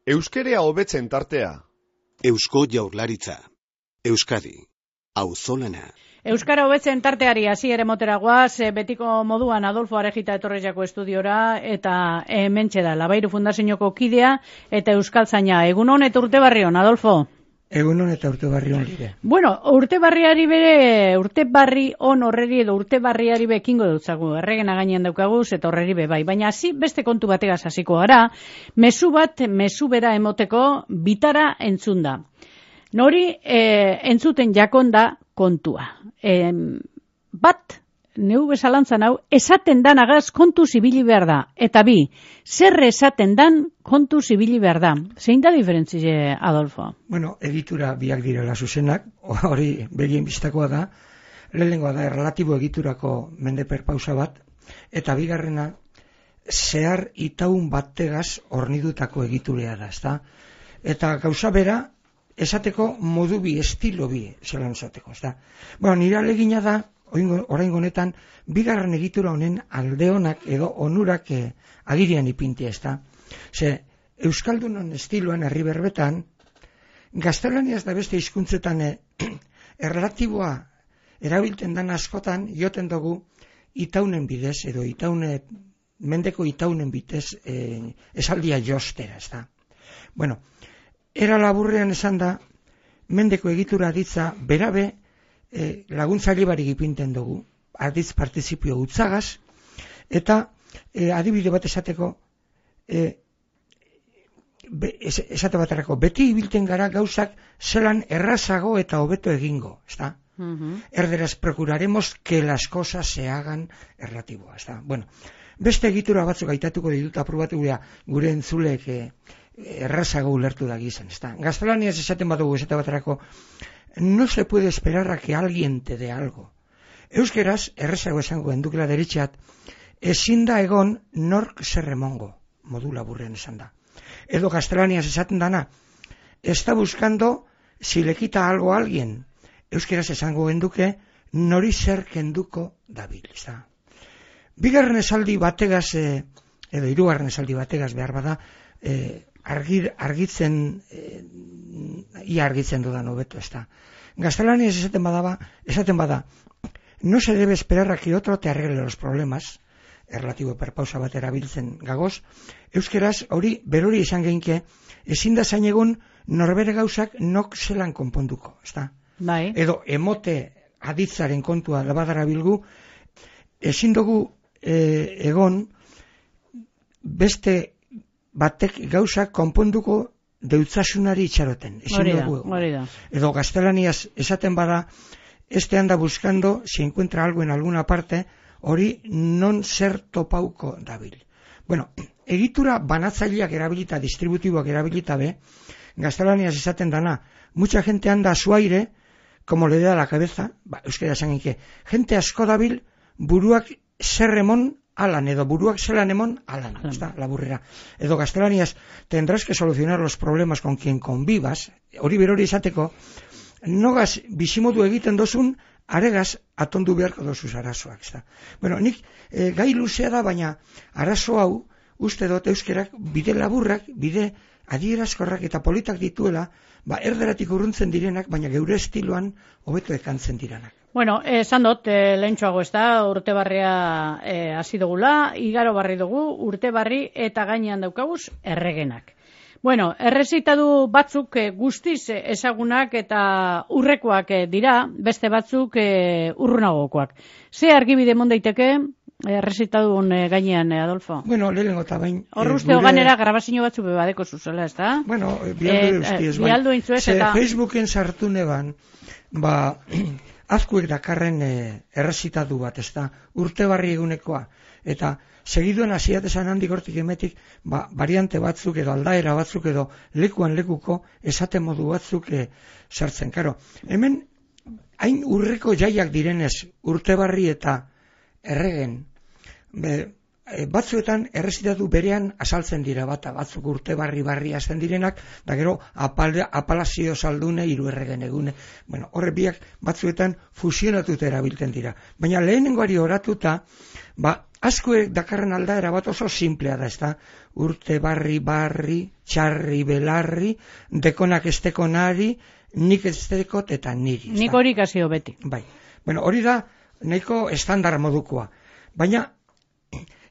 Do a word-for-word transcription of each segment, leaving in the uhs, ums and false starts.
Euskerea hobetzen tartea. Eusko Jaurlaritza. Euskadi. Auzolana. Euskara hobetzen tarteari hasi ere motera goaz, betiko moduan Adolfo Arejita etorrezako estudiora, eta hementxe da, Labairu Fundazioko kidea eta euskaltzaina. Egunon eta urte barrion, Adolfo? Egunon eta urte barrion lire. Bueno, urte barriari bere, urte barri on horreri edo urte barriari bekingo dutzagu, erregena gainean daukaguz eta horreri be bai. Baina hasi beste kontu bategaz hasiko gara, mezu bat, mezu bera emoteko bitara entzunda. Nori e, entzuten jakonda kontua. E, bat, neu bezalantzan hau, esaten dan agaz kontu zibili behar da. Eta bi, zer esaten dan kontu zibili behar da. Zein da diferentzie, Adolfo? Bueno, egitura biak direla zuzenak, hori begien biztakoa da, lehenengoa da erlatibo egiturako mendeper pausa bat, eta bigarrena, zehar itaun bategaz hornidutako egiturea da, ezta? Eta gauza bera, esateko modu bi, estilo bi, zelan esateko, ezta? Bueno, nire alegina da, orain honetan, bigarren egitura honen aldeonak edo onurak eh, agirian ipintia, ezta? Ze, Euskaldunon estiloan, herri berbetan, gaztelaniaz da beste hizkuntzetan eh, erlatiboa erabilten dan askotan, joten dugu itaunen bidez, edo itaune, mendeko itaunen bitez eh, esaldia jostera, ezta? Bueno, era laburrean esan da, mendeko egitura aditza, berabe e, laguntzaile barik ipinten dugu, aditz partizipio utzagaz, eta e, adibide bat esateko, e, be, es, esate baterako, beti ibilten gara gauzak zelan errazago eta hobeto egingo, ezta? Uh-huh. Erderaz procuraremos que las cosas se hagan erlatiboa, ezta? Bueno, beste egitura batzuk aitatuko ditut aprobatu gure, gure entzulek e, errazago ulertu da gizan, ezta? Gaztelaniaz esaten badugu esate baterako, no se puede esperar a que alguien te dé algo. Euskeraz, errazago esango endukela deritxat, ezin da egon nork zerremongo, modu laburren esan da. Edo gaztelaniaz esaten dana, está buscando si le quita algo a alguien. Euskeraz esango enduke, nori zer kenduko dabil, ezta? Bigarren esaldi bategaz, eh, edo hirugarren esaldi bategaz behar bada, eh, Argir, argitzen, e, ia argitzen dudan hobeto, ezta. Gaztelaniaz esaten badaba, esaten bada, no se debe esperar a que otro te arregle los problemas, erlatibo perpausa bat erabiltzen gagoz, euskeraz hori berori izan geinke, ezin da zain egun norbere gauzak nok zelan konponduko, ezta. Bai. Edo emote aditzaren kontua labadara bilgu, ezin dugu e, egon beste batek gauzak konponduko deutzasunari itxaroten. Hori da, hori da. Edo gaztelaniaz esaten bada, este anda buscando, si encuentra algo en alguna parte, hori non zer topauko dabil. Bueno, egitura banatzaileak erabilita, distributiboak erabilita be, gaztelaniaz esaten dana, mucha gente anda a su aire, como le da la cabeza, ba, euskera esan que, gente asko dabil, buruak zerremon alan, edo buruak zelan emon, alan, hmm. Está, laburrera. Edo gaztelaniaz, tendrás que solucionar los problemas con quien convivas, hori berori esateko, nogaz bizimodu egiten dozun, aregaz atondu beharko dozuz arazoak, ezta. Bueno, nik e, gai luzea da, baina arazo hau, uste dut euskerak, bide laburrak, bide adierazkorrak eta politak dituela, ba, erderatik urruntzen direnak, baina geure estiloan hobeto ekantzen direnak. Bueno, esan dut, e, lehentxoago ez da, urte barria e, hasi dugula, igaro barri dugu, urte barri eta gainean daukaguz erregenak. Bueno, errezitadu batzuk e, guztiz ezagunak eta urrekoak e, dira, beste batzuk e, urrunagokoak. Ze argibide mon daiteke errezitadun e, gainean, e, Adolfo? Bueno, lehenengo eta bain... Hor uste gure... ganera grabazio batzu bebadeko zuzela, ez da? Bueno, bialdu eustiez, bain. Bialdu intzuez eta... Facebooken sartu neban, ba... azkuek dakarren e, errezitadu bat, ez da, urte barri egunekoa, eta segiduen hasiatesan handik hortik emetik, ba, variante batzuk edo aldaera batzuk edo lekuan lekuko esate modu batzuk e, sartzen. Karo, hemen, hain urreko jaiak direnez urte barri eta erregen, be, batzuetan errezitatu berean azaltzen dira, bata batzuk urte barri barri hasten direnak, da gero apal, apalazio saldune hiru erregen egune. Bueno, horre biak batzuetan fusionatuta erabiltzen dira. Baina lehenengoari oratuta, ba, askoek dakarren aldaera bat oso simplea da, ezta? Urte barri barri, txarri belarri, dekonak estekonari, nik estekot eta niri. Nik hori kasio beti. Bai. Bueno, hori da nahiko estandar modukoa. Baina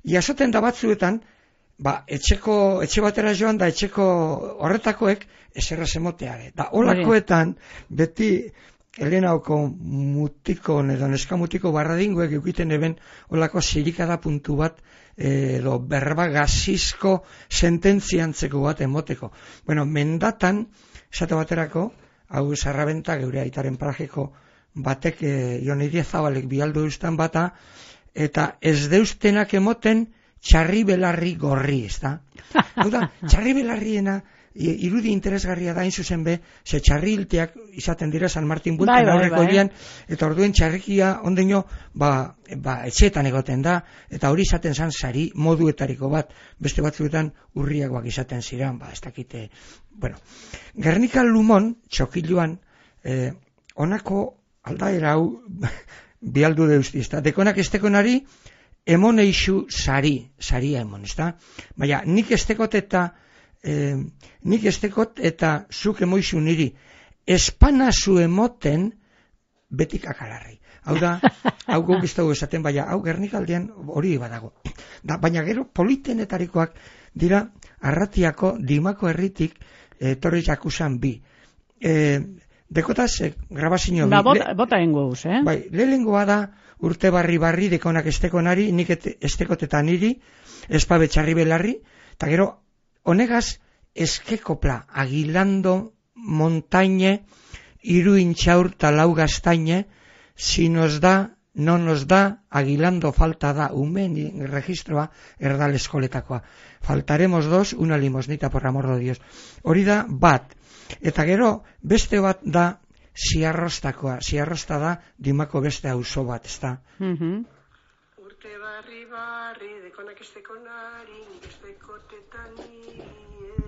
jasoten da batzuetan, ba, etxeko, etxe batera joan da etxeko horretakoek eserra zemoteare. Da, olakoetan, beti Helenauko mutiko, edo neskamutiko barradinguek eukiten eben olako zirikada puntu bat, edo berba gazizko sententziantzeko bat emoteko. Bueno, mendatan, esate baterako, hau Sarrabenta geure aitaren parajeko batek, e, Jon Zabalek bialdu eustan bata, eta ez deustenak emoten txarri belarri gorri, ez da? Hau da, txarri belarriena irudi interesgarria da, hain zuzen be, ze txarri hilteak izaten dira San Martin Bueltan bai, aurreko bai, bai. Eta orduen txarrikia ondeño, ba, ba, etxeetan egoten da, eta hori izaten zan sari moduetariko bat, beste batzuetan urriagoak izaten ziren, ba, ez dakite, bueno. Gernika Lumon, txokiluan, eh, onako aldaera hau bialdu deusti, ez da, dekonak estekonari, emon eixu sari, saria emon, ez da? Baina, nik estekot eta Eh, nik estekot eta zuk emoizu niri espanazu emoten betik akalarri. Hau da, hau guk ez dugu esaten, baina hau Gernikaldean hori badago. Da, baina gero politenetarikoak dira Arratiako Dimako herritik etorri eh, jakusan bi. Eh, dekotaz, eh, grabazio bi. Ba, bota, bota engo uz, eh? Bai, lehengoa da urte barri barri dekonak estekonari, nik estekot eta niri, espabe txarri belarri, eta gero honegaz, eskekopla, agilando montañe, iruintxaur talau gaztaine, si nos da, no nos da, agilando falta da, umen registroa erdal eskoletakoa. Faltaremos dos, una limosnita por amor de Dios. Hori da bat. Eta gero, beste bat da, ziarrostakoa. Ziarrosta da, Dimako beste auzo bat, ez da? Mhm. Urte barri barri, dekonak estekonari, nik estekotetani,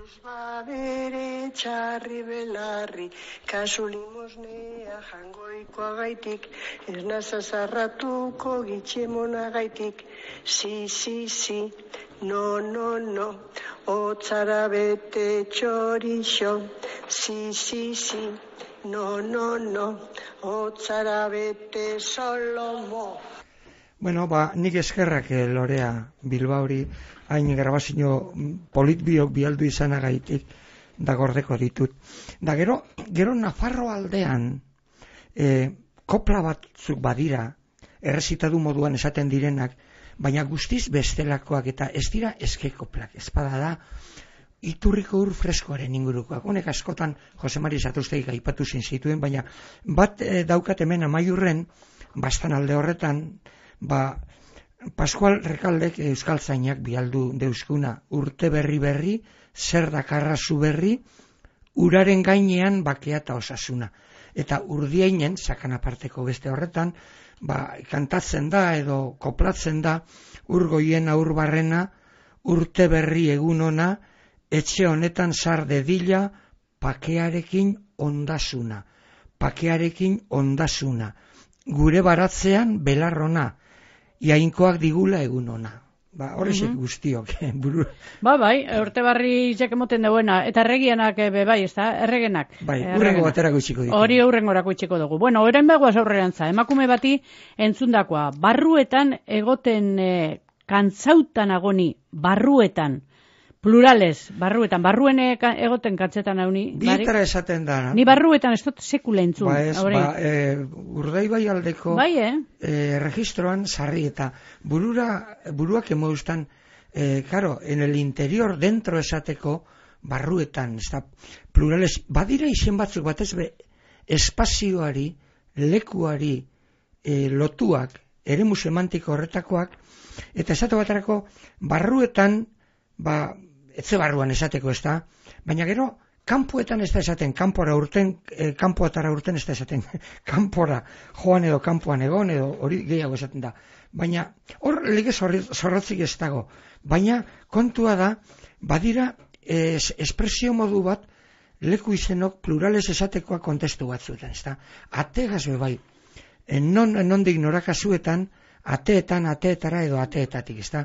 ez badere txarri belarri, kasu limosnea jangoikoa gaitik, ez nazazarratuko gitxemona gaitik, si, si, si, no, no, no, otzara bete txorixo, si, si, si, no, no, no, otzara bete solomo. Bueno, ba, nik eskerrak eh, Lorea Bilbaori hain grabazio politbiok bialdu izanagaitik da gordeko ditut. Da gero, gero Nafarro aldean eh, kopla batzuk badira, errezitadu moduan esaten direnak, baina guztiz bestelakoak eta ez dira eske koplak. Ezpada da, iturriko ur freskoaren ingurukoak. Honek askotan Jose Mari Zatuztegik aipatu zituen, baina bat eh, daukat hemen Amaiurren, bastan alde horretan, ba, Pascual Rekaldek euskaltzainak bialdu deuskuna urte berri berri, zer dakarra zu berri, uraren gainean bakea eta osasuna. Eta urdiainen, sakan aparteko beste horretan, ba, kantatzen da edo koplatzen da, urgoien aurbarrena, urte berri egun ona, etxe honetan sar dedila, pakearekin ondasuna. Pakearekin ondasuna. Gure baratzean belarrona. Iainkoak digula egun ona. Ba, horrezek mm-hmm. guztiok. Buru... Ba, bai, urte barri jak emoten dauena. Eta erregianak be, bai, ez da, erregenak. Bai, urrengo baterako itxiko ditu. Hori urrengorako itxiko dugu. Bueno, orain begoaz aurrerantza. Emakume bati entzundakoa. Barruetan egoten e, kantzautan agoni, barruetan. Plurales, barruetan. Barruen egoten katzetan hauni. Bietara esaten da. Ni barruetan ez dut sekula entzun. Ba ez, ba, e, urdai bai aldeko bai, eh? e, registroan sarri eta burura, buruak emoeustan, e, claro, en el interior, dentro esateko, barruetan, ez da, plurales, badira izen batzuk batez be, espazioari, lekuari, e, lotuak, eremu semantiko horretakoak, eta esate baterako, barruetan, ba, etxe barruan esateko ez da, baina gero kanpoetan ez da esaten, kanpora urten, e, kanpoatara urten ez da esaten, kanpora joan edo kanpoan egon edo hori gehiago esaten da. Baina hor lege zorrotzik ez dago. Baina kontua da, badira es, espresio modu bat leku izenok plurales esatekoa kontestu batzuetan, ez da. Ategaz bai, non, nondik norakasuetan, ateetan, ateetara edo ateetatik, ez da.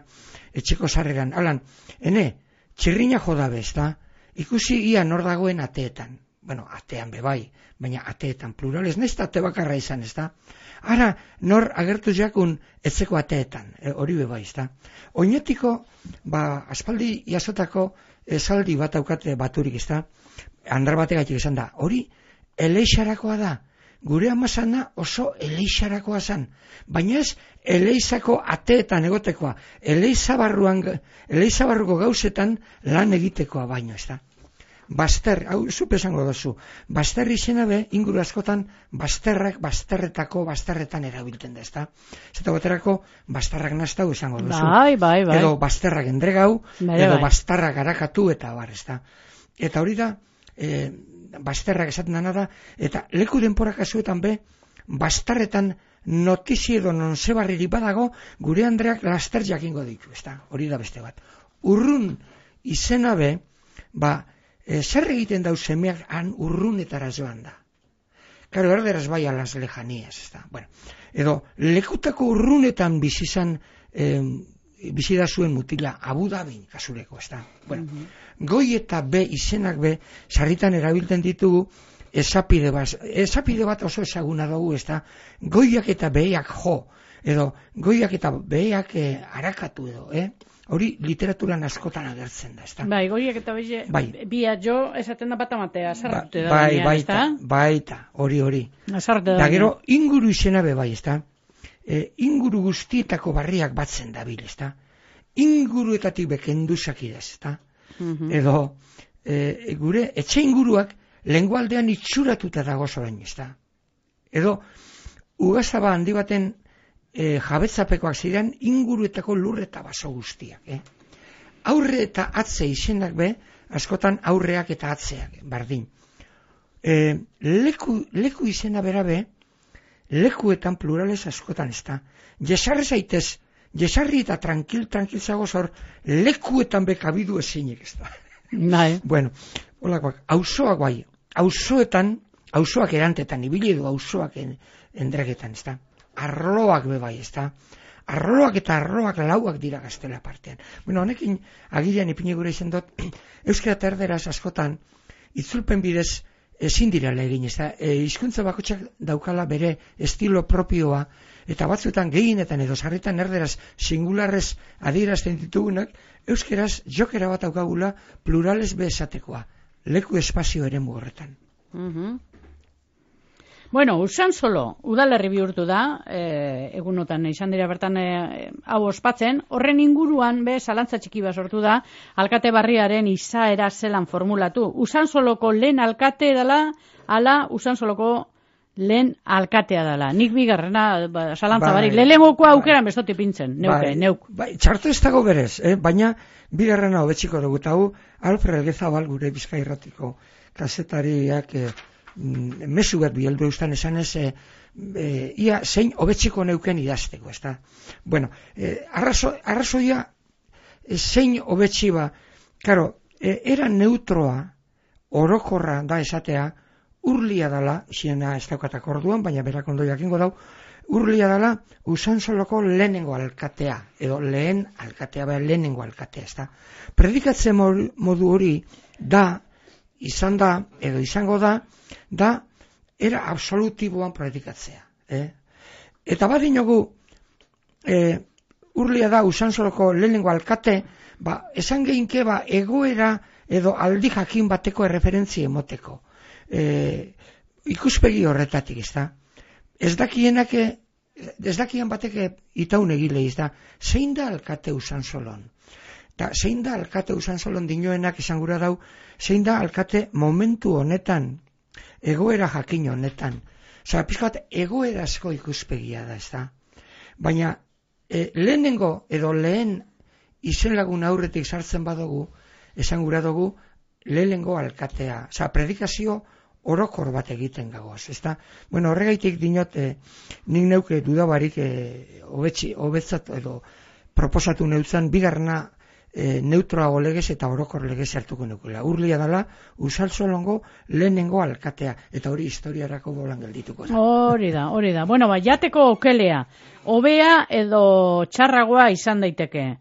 Etxeko sarreran, alan, ene, txirrina jodabe, ez da. Ikusi ia nor dagoen ateetan. Bueno, atean bebai, baina ateetan plurales, nahiz da ate bakarra izan, ez da. Ara, nor agertu jakun etzeko ateetan, e, hori bebai, ez da. Oinetiko, ba, aspaldi jasotako esaldi bat aukate baturik, ez da. Andar bategatik esan da, hori eleixarakoa da. Gure amazana oso eleixarakoa zan. Baina ez eleixako ateetan egotekoa. Eleixabarruan, eleixabarruko gauzetan lan egitekoa baino, ez da. Baster, hau zupe esango dozu, baster izena be, inguru askotan, basterrak, basterretako, basterretan erabiltzen da, ez da. Zeta goterako, bastarrak naztau esango dozu. Bai, bai, bai. Edo basterrak endregau, bai, edo bai. bastarrak arakatu eta bar, ez da. Eta hori da, e, basterrak esaten dana da, eta leku denpora kasuetan be, bastarretan notizi edo non zebarriri badago, gure Andreak laster jakingo ditu, ez da, hori da beste bat. Urrun izena be, ba, e, zer egiten dau semeak han urrunetara joan da. Karo, erderaz bai alas lejanías, ez da. Bueno, edo, lekutako urrunetan bizizan, e, bizida zuen mutila, Abu Dhabi kasureko, ez da. Bueno, mm-hmm. Goi eta B izenak be, sarritan erabiltzen ditugu, esapide bat, esapide bat oso ezaguna dugu, ez da, goiak eta behiak jo, edo goiak eta behiak eh, arakatu edo, eh? Hori literaturan askotan agertzen da, ez da. Bai, goiak eta behiak, bai. Bia jo, esaten da bat amatea, azarrute ba, da. Bai, baina, baita, baita, hori, hori. Azarrute da. Da gero, inguru izena be bai, ez da. E, inguru guztietako barriak batzen dabil, ez da. Inguruetatik bekenduzak idaz, ez da. Mm-hmm. Edo, e, gure etxe inguruak lengualdean itxuratuta dago zorain, ez da. Edo, ugazaba handi baten e, jabetzapekoak ziren inguruetako lurre eta baso guztiak. Eh? Aurre eta atze izenak be, askotan aurreak eta atzeak, bardin. E, leku, leku izena berabe, lekuetan plurales askotan ez da. Jesarri zaitez, jesarri eta tranquil, tranquil zago zor, lekuetan bekabidu ezinik ez da. Bai. Bueno, holakoak, auzoak bai, auzoetan, auzoak erantetan, ibili edo auzoak en, endregetan, ez da. Arloak be bai, ez da. Arloak eta arloak lauak dira gaztela partean. Bueno, honekin agilean ipini gure izan dut, euskara eta erderaz askotan, itzulpen bidez ezin direla egin, ez da. E, hizkuntza bakotxak daukala bere estilo propioa, eta batzuetan gehienetan edo sarritan erderaz singularrez adierazten ditugunak, euskeraz jokera bat daukagula plurales be esatekoa, leku espazio ere horretan. Mm-hmm. Bueno, Usansolo udalerri bihurtu da, e, egunotan izan dira bertan e, hau ospatzen, horren inguruan be zalantza txiki bat sortu da, alkate barriaren izaera zelan formulatu. Usansoloko lehen alkate dela, ala Usansoloko lehen alkatea dela. Nik bigarrena ba, zalantza bai, barik, lehenengoko aukeran bestoti pintzen, neuke, bai, neuk. Bai, txarto ez dago berez, eh? Baina bigarrena hobetxiko dugu, eta hu Alfred Elgezabal gure Bizkairratiko kazetariak eh, mesu bat bieldu eustan esan ez, e, e, ia zein hobetxiko neuken idazteko, ez da. Bueno, e, arrazo, arrazoia e, zein hobetxi ba, karo, e, era neutroa, orokorra da esatea, urlia dala, ziena ez daukatak orduan, baina berak ondo jakingo dau, urlia dala Usansoloko lehenengo alkatea, edo lehen alkatea, baina lehenengo alkatea, ez da. Predikatzen modu hori da, izan da, edo izango da, da, era absolutiboan predikatzea. Eh? Eta badinogu, eh, urlia da Usansoloko lehenengo alkate, ba, esan geinke ba, egoera edo aldi jakin bateko erreferentzia emoteko. Eh, ikuspegi horretatik, ez da. Ez dakienak, ez dakien bateke itaun egile, ez da. Zein da alkate Usansolon? Ta, zein da alkate Usansolon dinoenak izan gura dau, zein da alkate momentu honetan, egoera jakin honetan. Zara, pizkat, egoerazko ikuspegia da, ez da. Baina, e, lehenengo edo lehen izen lagun aurretik sartzen badugu, esan gura dugu, lehengo alkatea, oza, predikazio orokor bat egiten gagoaz, ezta? Bueno, horregaitik dinot, eh, nik neuke dudabarik eh, hobetzi, hobetzat edo proposatu neutzan, bigarna e, neutroago legez eta orokor legez hartuko neukela. Urlia dela, Usaltzolongo lehenengo alkatea, eta hori historiarako bolan geldituko da. Hori da, hori da. Bueno, ba, jateko okelea, hobea edo txarragoa izan daiteke.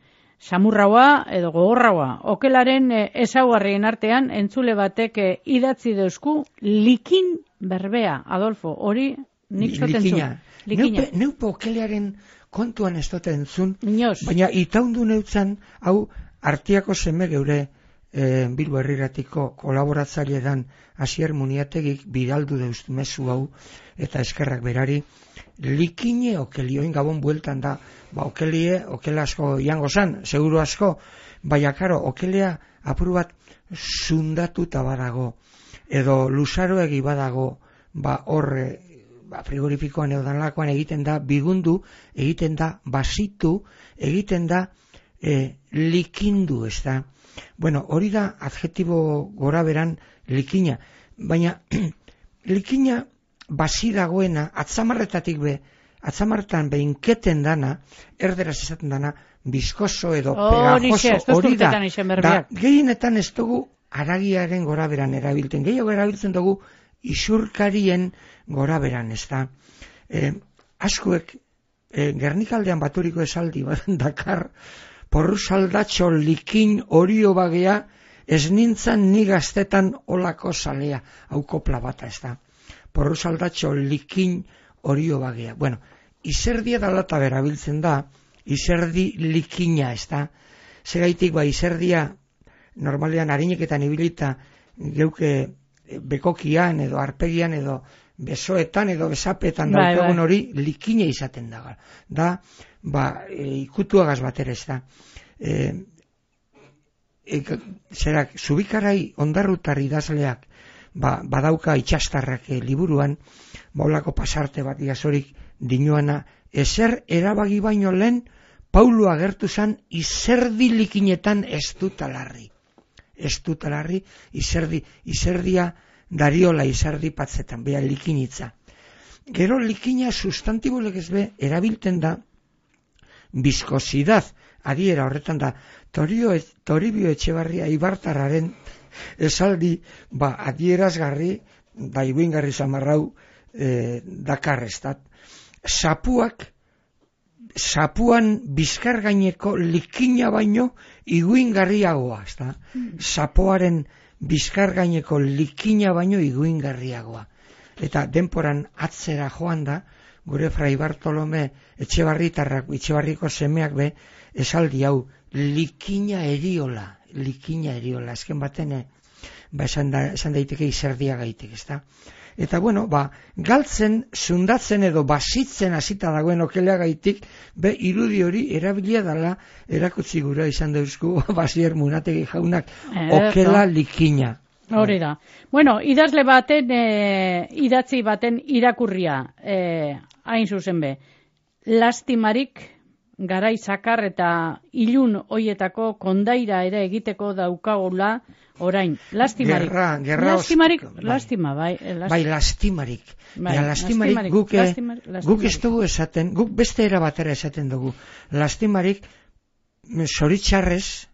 Samurragoa edo gogorragoa. Okelaren e, ezaugarrien artean entzule batek e, idatzi deusku likin berbea, Adolfo, hori nik zoten Likina. zu. Likina. Neupe, neupe okelearen kontuan ez dute entzun, Inoz. baina itaundu neutzan, hau Artiako seme geure e, Bilbo Herriratiko kolaboratzaile dan Asier Muniategik bidaldu deust mezu hau, eta eskerrak berari, likine okelioin gabon bueltan da, ba okelie, okela asko jango zan, seguru asko, baina karo, okelea apur bat zundatuta badago, edo luzaroegi badago, ba horre, ba, frigorifikoan edo danlakoan egiten da bigundu, egiten da basitu, egiten da e, likindu, ez da. Bueno, hori da adjetibo gora beran likina, baina likina basi dagoena, atzamarretatik be, atzamarretan behinketen dana, erderaz esaten dana, bizkoso edo pegajoso, hori da, da gehienetan ez dugu haragiaren gora beran erabilten, gehiago erabiltzen dugu isurkarien gora beran, ez da. E, askuek, e, Gernikaldean baturiko esaldi bat dakar, porru saldatxo likin orio bagea, ez nintzan ni gaztetan olako salea, hau kopla bata, ez da. Porru saldatxo likin orio bagea. Bueno, izerdia dalata berabiltzen da, izerdi likina, ez da. Segaitik, ba, izerdia, normalean harineketan ibilita, geuke bekokian edo arpegian edo besoetan edo besapetan bai, daukagun bai. hori likine izaten da. Da, ba, e, ikutuagaz batera ez da. E, e, zerak, Zubikarai ondarrutar idazleak, ba, badauka itxastarrak e, liburuan, baulako pasarte bat iazorik dinuana, ezer erabagi baino lehen, Paulo agertu zan izerdi likinetan ez dut alarri. Ez dut alarri, izerdi, izerdia dariola izerdi patzetan, beha likinitza. Gero likina sustantibo legez be, erabilten da, bizkosidad, adiera horretan da, Torio, Toribio Etxebarria Ibartarraren esaldi, ba, adierazgarri, da iguingarri zamarrau eh, dakarrestat. Sapuak, sapuan bizkar gaineko likina baino iguingarriagoa, ezta? Sapoaren bizkar gaineko likina baino iguingarriagoa. Eta denporan atzera joan da, gure Fray Bartolome Etxebarritarrak, Etxebarriko semeak be, esaldi hau, likina eriola, likina eriola, azken baten, ba, esan, da, esan daiteke izerdia gaitik, ezta? Eta bueno, ba, galtzen, zundatzen edo basitzen hasita dagoen okelea gaitik, be, irudi hori erabilia dala erakutsi gura izan dauzku Basier Munategi jaunak okela likina. Hori da. Bueno, idazle baten, e, idatzi baten irakurria, e, hain zuzen be, lastimarik garai zakar eta ilun hoietako kondaira ere egiteko daukagula orain. Lastimarik. Gerra, gerra lastimarik, bai. lastima, bai. Lastima. Bai, lastimarik. Bai, ja, lastimarik, lastimarik, guk, lastimarik, lastimarik. guk ez dugu esaten, guk beste era batera esaten dugu. Lastimarik, zoritxarrez,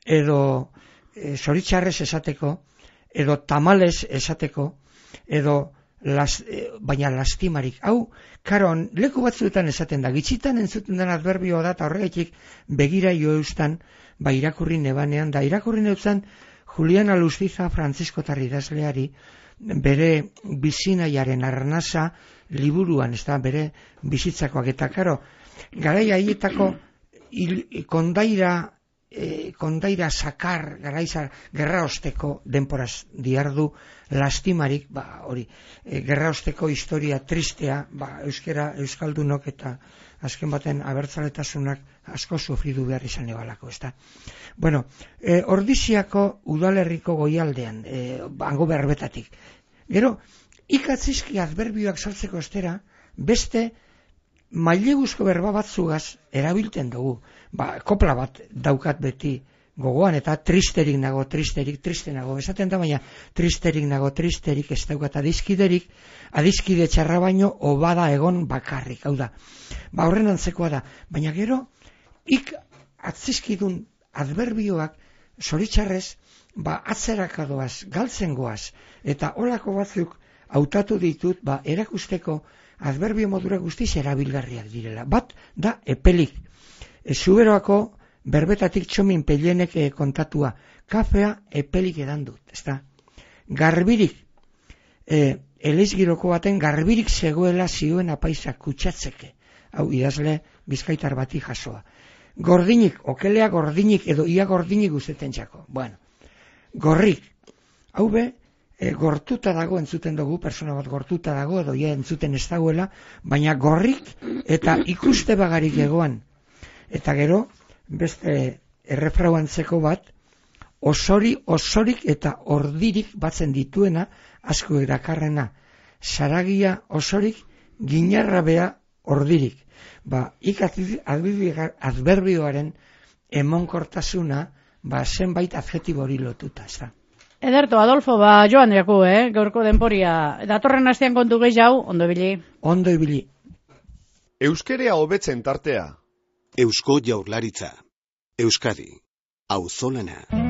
edo e, zoritxarrez esateko, edo tamales esateko, edo Las, eh, baina lastimarik. Hau, karon, leku batzuetan esaten da, gitxitan entzuten den adverbio da, eta horregatik begira jo eustan, ba irakurri nebanean, da irakurri neuzan Juliana Lustiza Francisco Tarridazleari, bere bizinaiaren arnasa liburuan, ez da, bere bizitzakoak, eta karo, garai haietako il, kondaira, E, kondaira sakar, garaiza, gerra osteko denporaz diardu lastimarik, ba, hori, e, gerra osteko historia tristea, ba, euskera, euskaldunok eta azken baten abertzaletasunak asko sufridu behar izan ebalako, ez da. Bueno, e, Ordiziako udalerriko goialdean, e, hango berbetatik. Gero, ikatzizki adverbioak saltzeko estera, beste maileguzko berba batzugaz erabilten dugu. Ba, kopla bat daukat beti gogoan, eta tristerik nago, tristerik, triste nago, esaten da, baina tristerik nago, tristerik, ez daukat adiskiderik, adiskide txarra baino, obada egon bakarrik, hau da. Ba, horren antzekoa da, baina gero, ik atzizkidun adberbioak, zoritxarrez, ba, atzerakadoaz, galtzen goaz, eta holako batzuk hautatu ditut, ba, erakusteko adberbio modura guztiz erabilgarriak direla. Bat, da, epelik. E, Zuberoako berbetatik txomin pelenek e, kontatua, kafea epelik edan dut, ezta? Garbirik, e, eleizgiroko baten garbirik zegoela zioen apaisak kutsatzeke. Hau, idazle bizkaitar bati jasoa. Gordinik, okelea gordinik edo ia gordinik guzteten txako. Bueno, gorrik, hau be, e, gortuta dago entzuten dugu, persona bat gortuta dago edo ia entzuten ez dagoela, baina gorrik eta ikuste bagarik egoan. Eta gero, beste errefrauantzeko bat, osori, osorik eta ordirik batzen dituena, asko erakarrena, saragia osorik, ginarrabea ordirik. Ba, ik adberbioaren emonkortasuna, ba, zenbait adjetibo hori lotuta, ez da. Ederto, Adolfo, ba, joan jaku, eh, gaurko denporia. Datorren astean kontu gehiago, ondo ibili. Ondo ibili. Euskerea hobetzen tartea. Eusko Jaurlaritza. Euskadi. Auzolana.